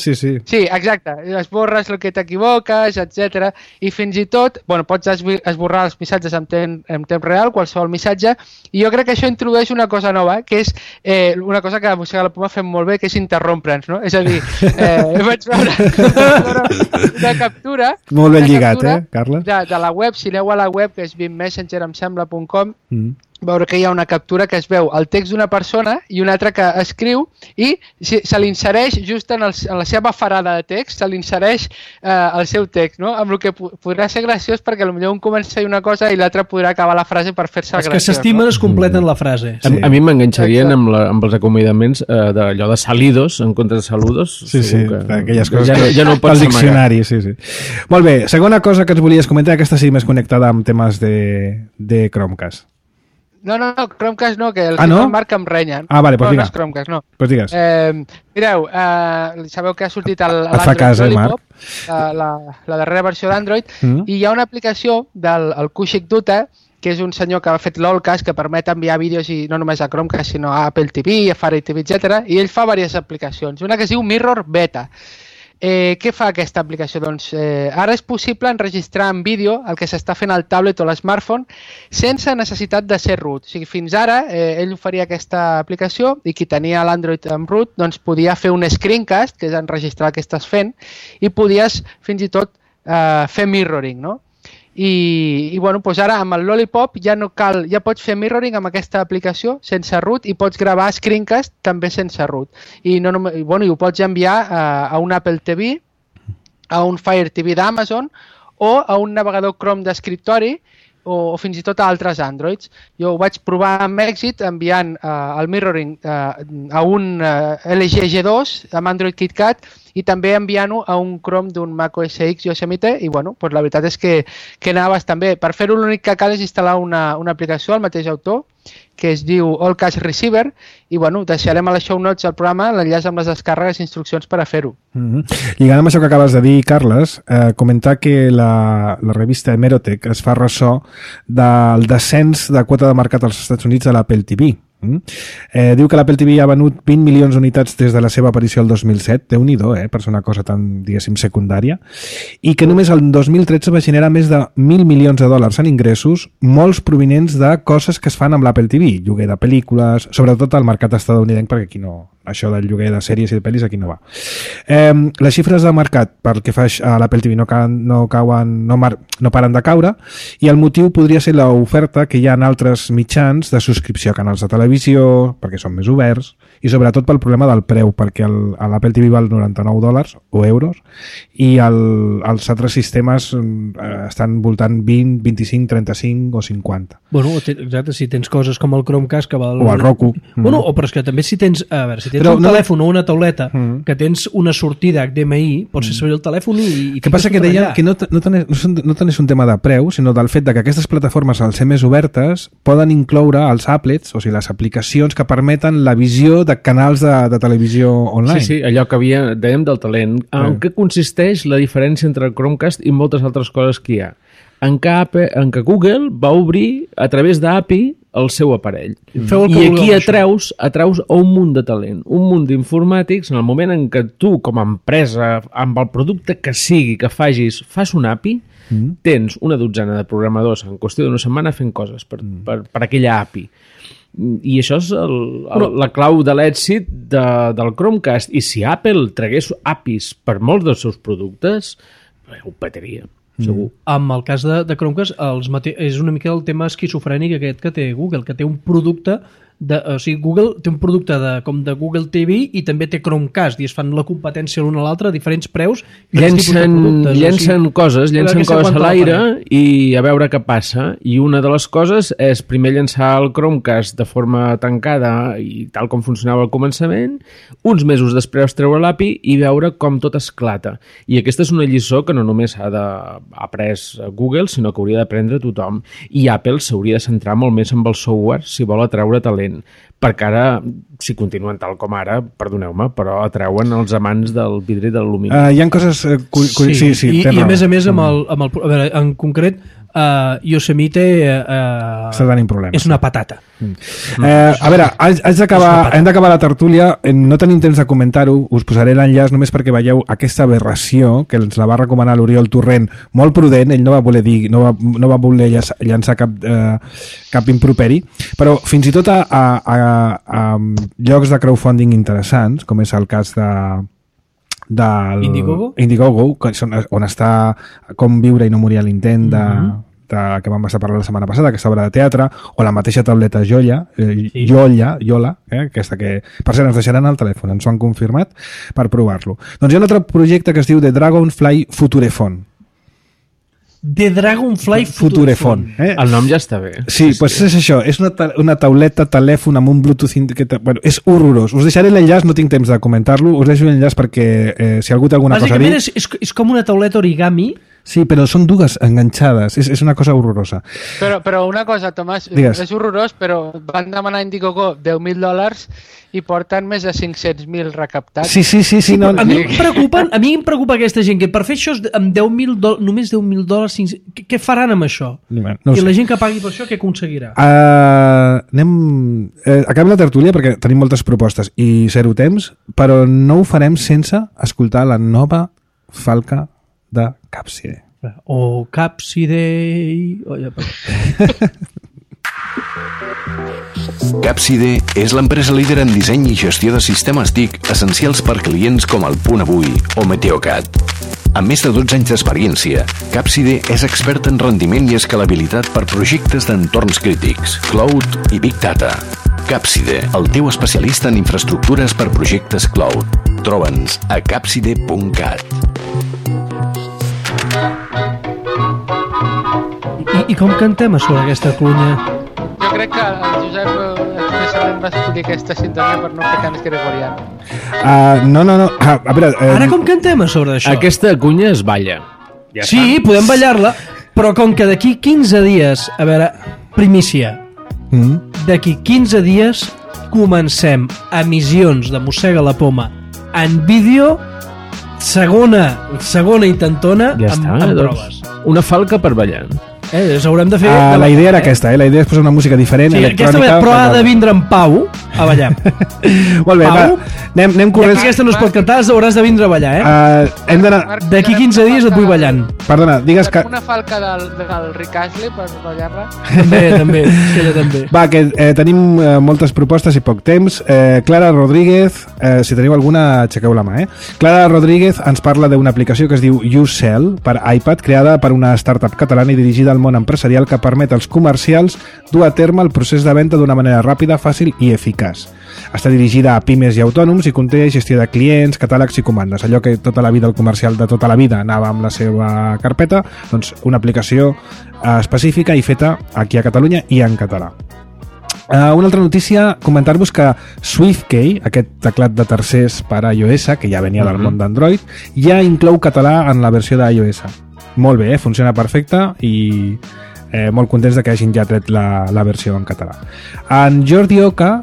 Sí, exacte. Esborres el que t'equivoques, etc. I fins i tot, pots esborrar els missatges en temps real, qualsevol missatge, i jo crec que això introdueix una cosa nova, que és una cosa que a Mossega la Poma fem molt bé, que és interrompre'ns, no? És a dir, vaig veure una captura... Molt ben lligat, Carles? De la web, si aneu a la web, que és beammessenger.com, veure que hi ha una captura que es veu el text d'una persona i una altra que escriu i se l'insereix just en la seva farada de text, se l'insereix el seu text, no? Amb el que podrà ser graciós perquè potser un comença a dir una cosa i l'altre podrà acabar la frase per fer-se graciós. Els que s'estimen es completen la frase. Sí. A mi m'enganxarien amb els acomiadaments d'allò de salidos en comptes de saludos. Sí, aquelles coses ja no pots al diccionari, sí. Molt bé, segona cosa que ens volies comentar, aquesta sí més connectada amb temes de Chromecast. No, Chromecast no, que el Marc em renyen. Vale, pues no és Chromecast, no. Pues digues. Mireu, sabeu que ha sortit l'Android Lollipop, la darrera versió d'Android, i hi ha una aplicació del Kushik Dutta, que és un senyor que ha fet l'Allcast, que permet enviar vídeos i no només a Chromecast, sinó a Apple TV, a Fire TV, etc. I ell fa diverses aplicacions. Una que es diu Mirror Beta. Què fa aquesta aplicació? Doncs ara és possible enregistrar en vídeo el que s'està fent al tablet o l'smartphone sense necessitat de ser root. O sigui, fins ara ell oferia aquesta aplicació i qui tenia l'Android amb root doncs podia fer un screencast, que és enregistrar el que estàs fent, i podies fins i tot fer mirroring, no? I doncs ara amb el Lollipop ja pots fer mirroring amb aquesta aplicació sense root i pots gravar screencast també sense root i ho pots enviar a un Apple TV, a un Fire TV d'Amazon o a un navegador Chrome d'escriptori o fins i tot a altres Androids. Jo ho vaig provar amb èxit enviant el mirroring a un LG G2 amb Android KitKat i també enviant-ho a un Chrome d'un Mac OS X Yosemite i la veritat és que anava bastant bé. Per fer-ho l'únic que cal és instal·lar una aplicació al mateix autor que es diu Allcast Receiver i deixarem a les show notes al programa l'enllaç amb les descàrregues i instruccions per a fer-ho. Lligant amb això que acabes de dir, Carles, comentar que la revista Hemerotech es fa ressò del descens de quota de mercat als Estats Units de l'Apple TV. Diu que l'Apple TV ha venut 20 milions d'unitats des de la seva aparició el 2007, Déu-n'hi-do, per ser una cosa tan, diguéssim, secundària, i que només el 2013 va generar més de 1.000 milions de dòlars en ingressos, molts provinents de coses que es fan amb l'Apple TV, lloguer de pel·lícules, sobretot al mercat estadounidenc, perquè aquí no això del lloguer de sèries i de pel·lis aquí no va. Les xifres de mercat pel que fa a l'Apple TV no paren de caure, i el motiu podria ser l'oferta que hi ha en altres mitjans de subscripció a canals de televisió, perquè són més oberts, i sobretot pel problema del preu, perquè l'Apple TV val $99 o euros, i els altres sistemes estan voltant 20, 25, 35 o 50. Bueno, exacte, si tens coses com el Chromecast que val... O el Roku. Bueno, però és que també si tens, un telèfon o una tauleta que tens una sortida HDMI, pots fer servir el telèfon i que passa que deien que no tant és un tema de preu, sinó del fet de que aquestes plataformes, al ser més obertes, poden incloure els applets, o sigui, les aplicacions que permeten la visió de canals de televisió online. Sí, allò que dèiem del talent. En què consisteix la diferència entre el Chromecast i moltes altres coses que hi ha? En què Google va obrir a través d'API el seu aparell. I aquí atraus un munt de talent, un munt d'informàtics. En el moment en què tu, com a empresa, amb el producte que sigui que fas un API, tens una dotzena de programadors en qüestió d'una setmana fent coses per aquella API. I això és la clau de l'èxit del Chromecast. I si Apple tragués APIs per molts dels seus productes, ho petaria, segur. Amb el cas de Chromecast és una mica el tema esquizofrènic aquest que té Google, que té un producte o sigui, Google té un producte com de Google TV i també té Chromecast, i es fan la competència l'un a l'altre a diferents preus. Llencen coses a l'aire i a veure què passa. I una de les coses és primer llançar el Chromecast de forma tancada i tal com funcionava al començament, uns mesos després treure l'API i veure com tot esclata. I aquesta és una lliçó que no només ha après Google, sinó que hauria d'aprendre tothom. I Apple s'hauria de centrar molt més en el software si vol atraure talent, perquè ara, si continuen tal com ara, perdoneu-me, però atreuen els amants del vidre i de l'alumini. Hi ha coses... Sí, i a més, a veure, en concret, Yosemite està tenint problemes. És una patata. A veure, hem d'acabar la tertúlia, no tenim temps de comentar-ho, us posaré l'enllaç només perquè veieu aquesta aberració que ens la va recomanar l'Oriol Torrent, molt prudent, ell no va voler llançar cap improperi, però fins i tot a llocs de crowdfunding interessants, com és el cas Indiegogo, on està Com viure i no morir a l'intent que vam estar parlant la setmana passada, aquesta obra de teatre, o la mateixa tauleta Yola, aquesta que per cert ens deixaran al telèfon, ens ho han confirmat per provar-lo. Doncs hi ha un altre projecte que es diu The Dragonfly Futurephone. The Dragonfly Futurephone. El nom ja està bé. Sí, doncs és això, és una tauleta, telèfon amb un Bluetooth... Bueno, és horrorós. Us deixaré l'enllaç, no tinc temps de comentar-lo, us deixo l'enllaç perquè si algú té alguna cosa a dir... Bàsicament és com una tauleta origami. Sí, però són dues enganxades, és una cosa horrorosa. Però una cosa, Tomàs, és horrorós, però van demanar a Indiegogo $10.000 i porten més de 500.000 recaptats. Sí, no. A mi em preocupa aquesta gent, que per fer això amb només $10.000, què faran amb això? No I la gent que pagui per això, què aconseguirà? Acabem la tertúlia perquè tenim moltes propostes i zero temps, però no ho farem sense escoltar la nova falca de Capside. O Capside... Capside és l'empresa líder en disseny i gestió de sistemes TIC essencials per clients com el Punt Avui o Meteocat. Amb més de 12 anys d'experiència, Capside és expert en rendiment i escalabilitat per projectes d'entorns crítics, cloud i big data. Capside, el teu especialista en infraestructures per projectes cloud. Troba'ns a capside.cat. I com cantem a sobre aquesta clunya? Jo crec que el Josep expressament va escollir aquesta sintonia per no fer cants gregorians. No. A veure, ara com cantem a sobre d'això? Aquesta cunya es balla. Ja sí, podem ballar-la, però com que d'aquí 15 dies, a veure, primícia, d'aquí 15 dies comencem emissions de Mossega la Poma en vídeo, segona intentona, amb proves. Una falca per ballar. Haurem de fer... la idea era aquesta, la idea és posar una música diferent, electrònica... Però ha de vindre en Pau a ballar. Molt bé, Pau, Anem corrents. Ja que aquesta no es pot cantar, hauràs de vindre a ballar, Hem d'anar... D'aquí 15 dies et vull ballant. Perdona, digues que... Una falca del Rick Astley per ballar-la. També, aquella també. Va, que tenim moltes propostes i poc temps. Clara Rodríguez, si teniu alguna, aixequeu la mà, Clara Rodríguez ens parla d'una aplicació que es diu YouSell per iPad, creada per una startup catalana i dirigida al món empresarial que permet als comercials dur a terme el procés de venda d'una manera ràpida, fàcil i eficaç. Està dirigida a pimes i autònoms i conté gestió de clients, catàlegs i comandes. Allò que tota la vida el comercial de tota la vida anava amb la seva carpeta, doncs una aplicació específica i feta aquí a Catalunya i en català. Una altra notícia, comentar-vos que SwiftKey, aquest teclat de tercers per a iOS, que ja venia del món d'Android, ja inclou català en la versió d'iOS. Molt bé, funciona perfecte i molt contents de que hagin ja tret la versió en català. En Jordi Oca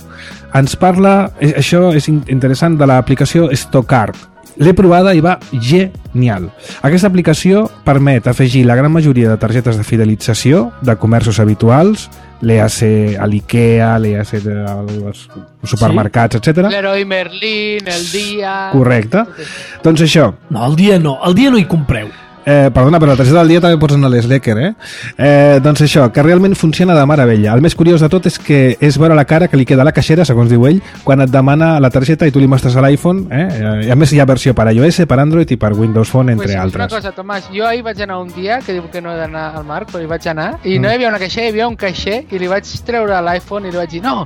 ens parla, això és interessant, de l'aplicació Stockart. L'he provada i va genial. Aquesta aplicació permet afegir la gran majoria de targetes de fidelització de comerços habituals, l'EAC a l'IKEA, l'EAC als supermercats, etc. L'Heroi Merlin, el Dia... Correcte. Doncs això... No, el dia no hi compreu. Perdona, però la targeta del dia també pots anar a l'Slacker, doncs això, que realment funciona de meravella. El més curiós de tot és que és veure la cara que li queda a la caixera, segons diu ell, quan et demana la targeta i tu li mostres a l'iPhone, i a més hi ha versió per iOS, per Android i per Windows Phone, entre altres. Una cosa, Tomàs, jo ahir vaig anar un dia, que diu que no he d'anar al Marc, però hi vaig anar, i no hi havia una caixera, hi havia un caixer, i li vaig treure l'iPhone i li vaig dir, no,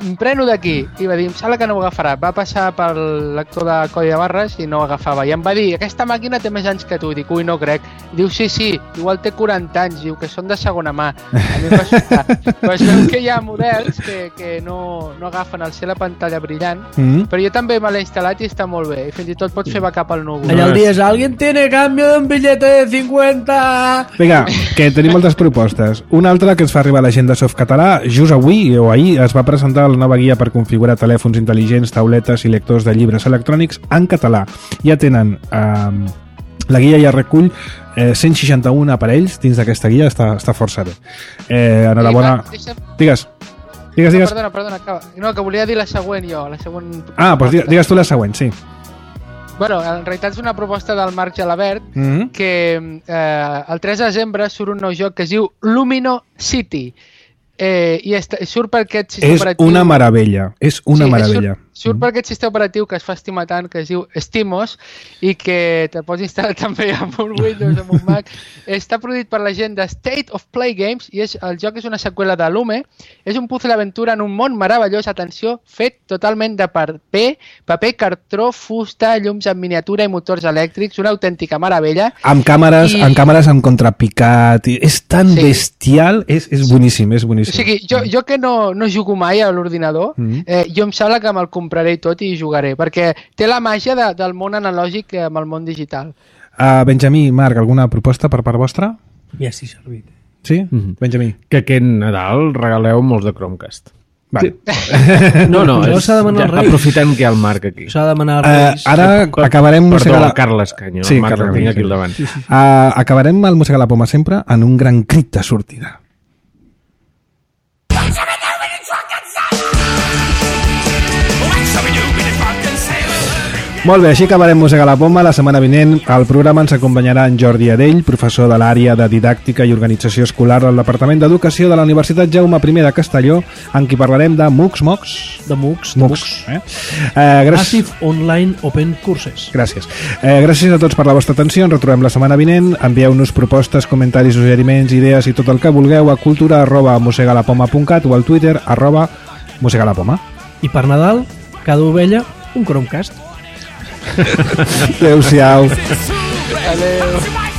em preno d'aquí, i va dir, em sembla que no ho agafarà. Va passar pel lector de codi de barres i no ho agafava, i em va dir, aquesta màquina té més anys que tu, i dic, ui, no crec. I diu, sí, igual té 40 anys, diu que són de segona mà. A mi em va sobtar. Però es veu que hi ha models que no agafen al ser la pantalla brillant, però jo també me l'he instal·lat i està molt bé, i fins i tot pots fer backup al núvol. Allà el dia és, ¿alguien tiene cambio de un billete de 50? Vinga, que tenim moltes propostes. Una altra que ens fa arribar a la gent de Softcatalà, just avui o ahir es va presentar la nova guia per configurar telèfons intel·ligents, tauletes i lectors de llibres electrònics en català. Ja tenen... la guia ja recull 161 aparells dins d'aquesta guia, està força bé. Enhorabona... Digues. Perdona, acaba. No, que volia dir la següent jo, la següent... Doncs digues tu la següent, sí. Bueno, en realitat és una proposta del Marc Gelabert que el 3 de desembre surt un nou joc que es diu Lumino City. I surt per aquest sistema operatiu... És una meravella, meravella. Surt per aquest sistema operatiu que es fa estimar tant, que es diu Stimos, i que te pots instal·lar també amb un Windows, amb un Mac. Està produït per la gent de State of Play Games i el joc és una seqüela de Lume. És un puzzle d'aventura en un món meravellós, atenció, fet totalment de paper, cartró, fusta, llums en miniatura i motors elèctrics, una autèntica meravella. Amb càmeres amb contrapicat, és tan bestial, és boníssim, és boníssim. O sigui, jo que no jugo mai a l'ordinador, jo em sembla que me'l compraré tot i jugaré, perquè té la màgia del món analògic amb el món digital. Benjamí, Marc, alguna proposta per part vostra? Ja estic servit. Sí? Benjamí. Que aquest Nadal regaleu molts de Chromecast. Vale. No, s'ha de demanar al Reis. Aprofitant que hi ha el Marc aquí. S'ha de demanar al Reis. Ara acabarem... Perdó, Carles Canyo, el Marc el tinc aquí al davant. Acabarem el Mossegar la Poma sempre en un gran crit de sortida. Molt bé, així acabarem Mossegar la Poma. La setmana vinent al programa ens acompanyarà en Jordi Adell, professor de l'àrea de Didàctica i Organització Escolar del Departament d'Educació de la Universitat Jaume I de Castelló, en qui parlarem de MOOCs. Massive Online Open Courses. Gràcies. Gràcies a tots per la vostra atenció. Ens retrobem la setmana vinent. Envieu-nos propostes, comentaris, suggeriments, idees i tot el que vulgueu a cultura@mossegalapoma.cat o al Twitter @mossegalapoma. I per Nadal, cada ovella, un Chromecast. Adéu-siau. Adéu.